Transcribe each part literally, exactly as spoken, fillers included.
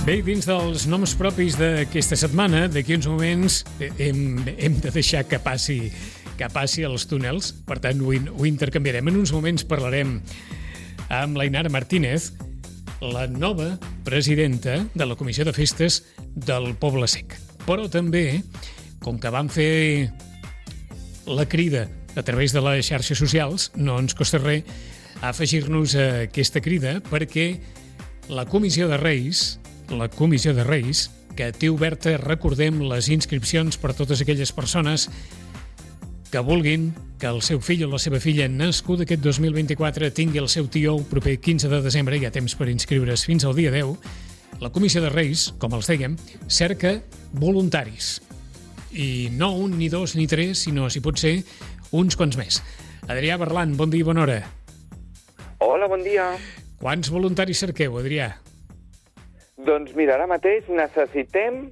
Bé, dins dels noms propis d'aquesta setmana, d'aquí uns moments hem, hem de deixar que passi, que passi els túnels, per tant ho, ho intercanviarem. En uns moments parlarem amb l'Ainara Martínez, la nova presidenta de la Comissió de Festes del Poble Sec. Però també, com que vam fer la crida a través de les xarxes socials, no ens costa res afegir-nos a aquesta crida perquè la Comissió de Reis, la Comissió de Reis, que té oberta, recordem, les inscripcions per a totes aquelles persones que vulguin que el seu fill o la seva filla nascut aquest dos mil vint-i-quatre tingui el seu tió el proper quinze de desembre, hi ha temps per inscriure's fins al dia deu. La Comissió de Reis, com els dèiem, cerca voluntaris. I no un, ni dos, ni tres, sinó, si pot ser, uns quants més. Adrià Berlan, bon dia i bona hora. Hola, bon dia. Quants voluntaris cerqueu, Adrià? Doncs mira, ara mateix necessitem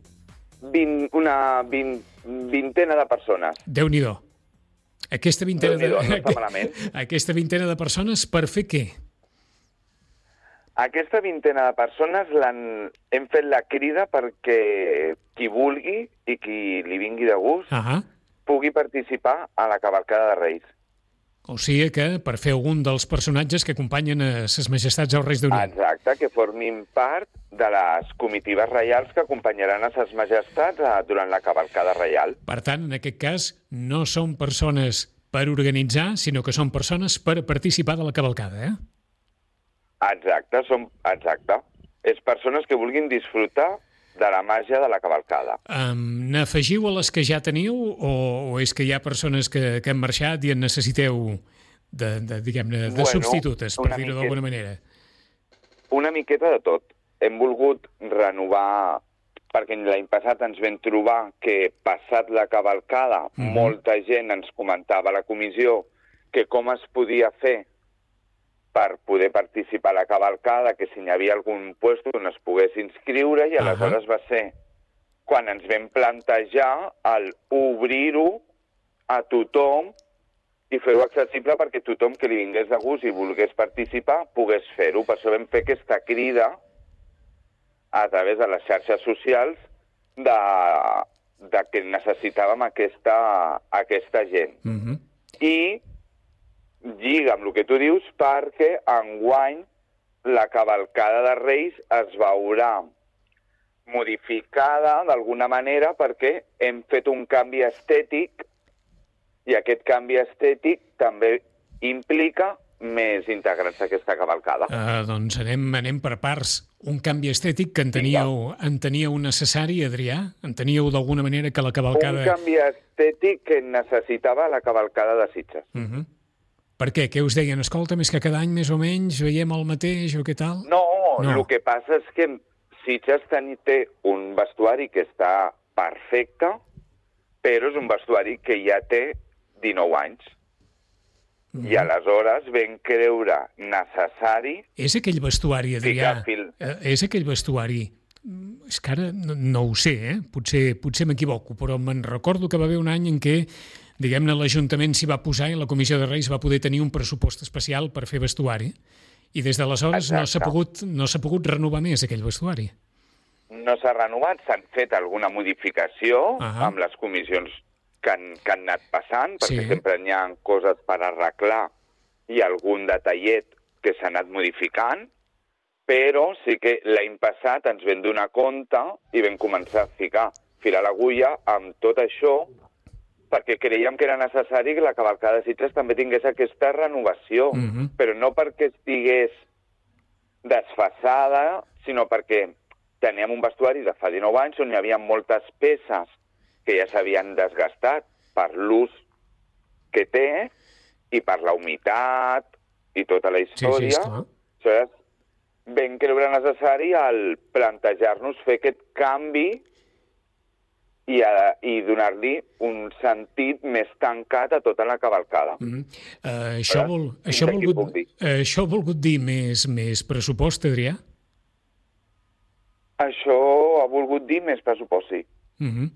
vint, una vint, vintena de persones. Déu-n'hi-do. Aquesta vintena, Déu-n'hi-do, de... no està malament. Aquesta vintena de persones per fer què? Aquesta vintena de persones hem fet la crida perquè qui vulgui i qui li vingui de gust uh-huh. pugui participar a la cavalcada de Reis. O sigui que per fer algun dels personatges que acompanyen a ses majestats als Reis d'Orient. Exacte, que formin part de les comitives reials que acompanyaran a ses majestats durant la cavalcada reial. Per tant, en aquest cas, no són persones per organitzar, sinó que són persones per participar de la cavalcada, eh? Exacte, som, exacte. És persones que vulguin disfrutar de la màgia de la cavalcada. Um, n'afegiu a les que ja teniu o, o és que hi ha persones que, que han marxat i en necessiteu de, de, diguem-ne, de bueno, substitutes, per dir-ho miqueta, d'alguna manera? Una miqueta de tot. Hem volgut renovar, perquè l'any passat ens vam trobar que passat la cavalcada mm-hmm. molta gent ens comentava a la comissió que com es podia fer per poder participar a la cavalcada, que si hi havia algun lloc on es pogués inscriure, i aleshores uh-huh. va ser quan ens vam plantejar el obrir-ho a tothom i fer-ho accessible perquè tothom que li vingués de gust i volgués participar pogués fer-ho. Per això vam fer aquesta crida a través de les xarxes socials de, de que necessitàvem aquesta, aquesta gent. Uh-huh. I lliga amb el que tu dius perquè enguany la cavalcada de Reis es veurà modificada d'alguna manera perquè hem fet un canvi estètic i aquest canvi estètic també implica més integrants a aquesta cavalcada. Uh, doncs anem, anem per parts. Un canvi estètic que enteníeu, enteníeu necessari, Adrià? Enteníeu d'alguna manera que la cavalcada... Un canvi estètic que necessitava la cavalcada de Sitges. Uh-huh. Per què? Què us deien? Escolta, més que cada any més o menys veiem el mateix o què tal? No, no. el que passa és que Sitges té un vestuari que està perfecte, però és un vestuari que ja té dinou anys. Mm. I aleshores vam creure necessari... És aquell vestuari, Adrià, fil... és aquell vestuari... És que ara no, no ho sé, eh? Potser, potser m'equivoco, però me'n recordo que va haver un any en què diguem-ne, l'Ajuntament s'hi va posar i la Comissió de Reis va poder tenir un pressupost especial per fer vestuari i des d'aleshores no s'ha pogut, no s'ha pogut renovar més aquell vestuari. No s'ha renovat, s'han fet alguna modificació uh-huh. amb les comissions que han, que han anat passant, perquè sí. sempre hi ha coses per arreglar i algun detallet que s'ha anat modificant, però sí que l'any passat ens vam donar compte i vam començar a ficar fil a l'agulla amb tot això perquè creiem que era necessari que la cavalcada de Sitges també tingués aquesta renovació, uh-huh. però no perquè estigués desfasada, sinó perquè teníem un vestuari de fa dinou anys on hi havia moltes peces que ja s'havien desgastat per l'ús que té i per la humitat i tota la història. Sí, sí, aleshores, vam creure necessari el plantejar-nos fer aquest canvi i, a, i donar-li un sentit més tancat a tota la cavalcada. Mm-hmm. Uh, això, vol, això, volgut, uh, això ha volgut dir més, més pressupost, Adrià? Això ha volgut dir més pressupost, sí. Mm-hmm.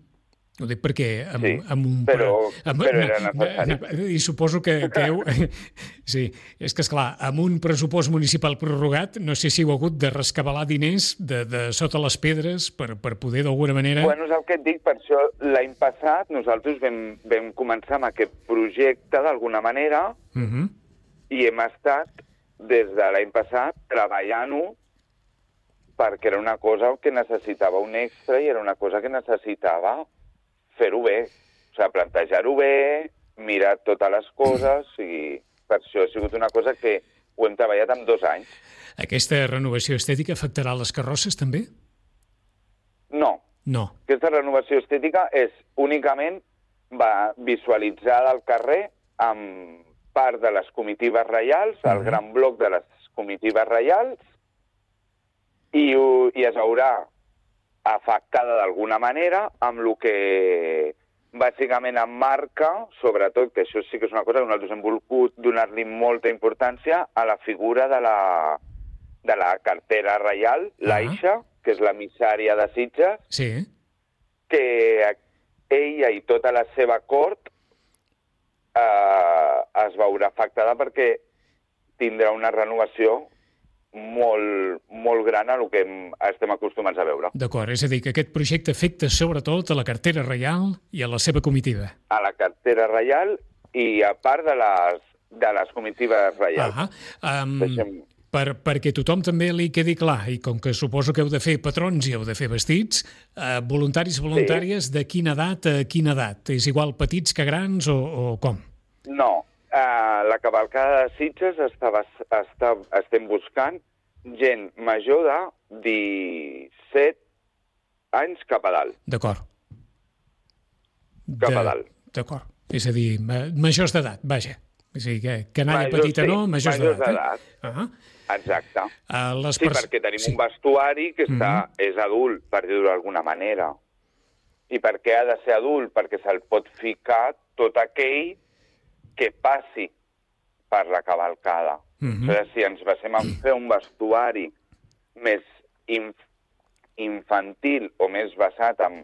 Ho dic perquè amb, sí, amb un... però, amb, però era necessari. I suposo que, que heu... Sí, és que, esclar, amb un pressupost municipal prorrogat, no sé si heu hagut de rescabalar diners de, de sota les pedres per, per poder, d'alguna manera... Bueno, és el que et dic, per això l'any passat nosaltres vam, vam començar amb aquest projecte d'alguna manera uh -huh. i hem estat, des de l'any passat, treballant-ho perquè era una cosa que necessitava un extra i era una cosa que necessitava fer-ho bé, o sigui, plantejar-ho bé, mirar totes les coses, i per això ha sigut una cosa que ho hem treballat en dos anys. Aquesta renovació estètica afectarà les carrosses, també? No. No. Aquesta renovació estètica és únicament va visualitzar el carrer amb part de les comitives reials, el uh-huh. gran bloc de les comitives reials, i, i es veurà afectada d'alguna manera amb el que bàsicament emmarca, sobretot, que això sí que és una cosa que nosaltres hem volgut donar-li molta importància, a la figura de la, de la cartera reial, uh-huh. l'Aixa, que és l'emissària de Sitges, sí. que ella i tota la seva cort eh, es veurà afectada perquè tindrà una renovació molt, molt gran a el que estem acostumats a veure. D'acord, és a dir, que aquest projecte afecta sobretot a la cartera reial i a la seva comitiva. A la cartera reial i a part de les, de les comitives reials. Ah, um, Deixem... per, perquè tothom també li quedi clar, i com que suposo que heu de fer patrons i heu de fer vestits, eh, voluntaris i voluntàries sí. de quina edat a quina edat? És igual petits que grans o, o com? No. Uh, la cavalcada de Sitges estava, està, estem buscant gent major de disset anys cap a dalt. D'acord. Cap de, a dalt. D'acord. És a dir, majors d'edat, vaja. És a dir, que canalla majors, petita sí, no, majors, majors d'edat. Eh? Uh -huh. Exacte. Uh, les sí, pers... perquè tenim sí. un vestuari que està, uh -huh. és adult, per dir-ho d'alguna manera. I per què ha de ser adult? Perquè se'l pot ficar tot aquell que passi per la cavalcada. Uh-huh. O sigui, si ens basem en fer un vestuari més inf infantil o més basat en,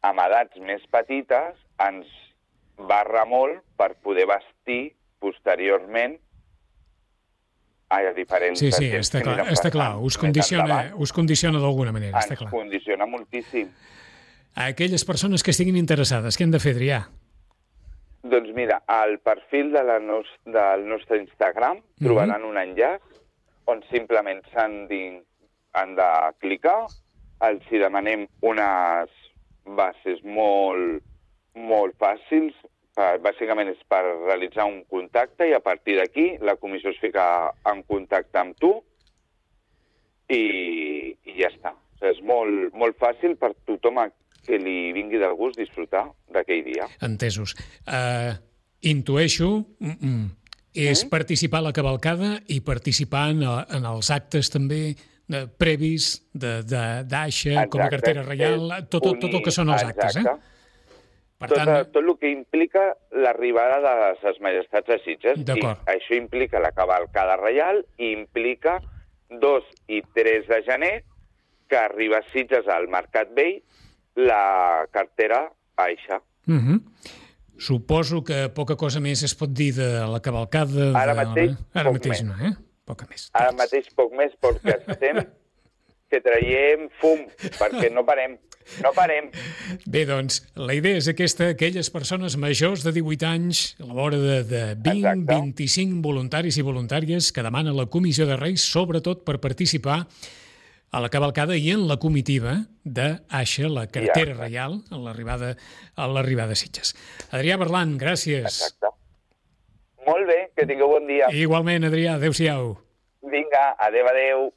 en edats més petites, ens barra molt per poder vestir posteriorment a diferents... Sí, sí, està clar, està clar. Us condiciona, us condiciona d'alguna manera, està clar. Ens condiciona moltíssim. A aquelles persones que estiguin interessades, què han de fer, Adrià? Doncs mira, al perfil de la nos del nostre Instagram mm-hmm. trobaran un enllaç on simplement s'han de, han de clicar, els hi demanem unes bases molt, molt fàcils, per, bàsicament és per realitzar un contacte i a partir d'aquí la comissió es fica en contacte amb tu i, i ja està. O sigui, és molt, molt fàcil per tothom que li vingui del gust disfrutar d'aquell dia. Entesos. Uh, intueixo, mm -mm, és mm? participar a la cavalcada i participar en, en els actes també de, previs d'Aixa, com a cartera reial, tot, tot, tot el que són els exacte. actes. Eh? Per tot, tant... tot el que implica l'arribada de les majestats a Sitges. I això implica la cavalcada reial i implica dos i tres de gener que arriba a Sitges al Mercat Vell la cartera Aixa. Uh -huh. Suposo que poca cosa més es pot dir de la cavalcada... Ara de... mateix, Ara poc mateix més. no, eh? Poca més. Ara mateix poc més perquè estem que traiem fum, perquè no parem. No parem. Bé, doncs, la idea és aquesta, aquelles persones majors de divuit anys, a la vora de, de vint a vint-i-cinc voluntaris i voluntàries que demana la Comissió de Reis, sobretot per participar a la cavalcada i en la comitiva d'Aixa, la cartera ja. reial, a l'arribada a l'arribada a Sitges. Adrià Berlan, gràcies. Exacte. Molt bé, que tingueu bon dia. Igualment, Adrià, adéu-siau. Vinga, adéu, adéu.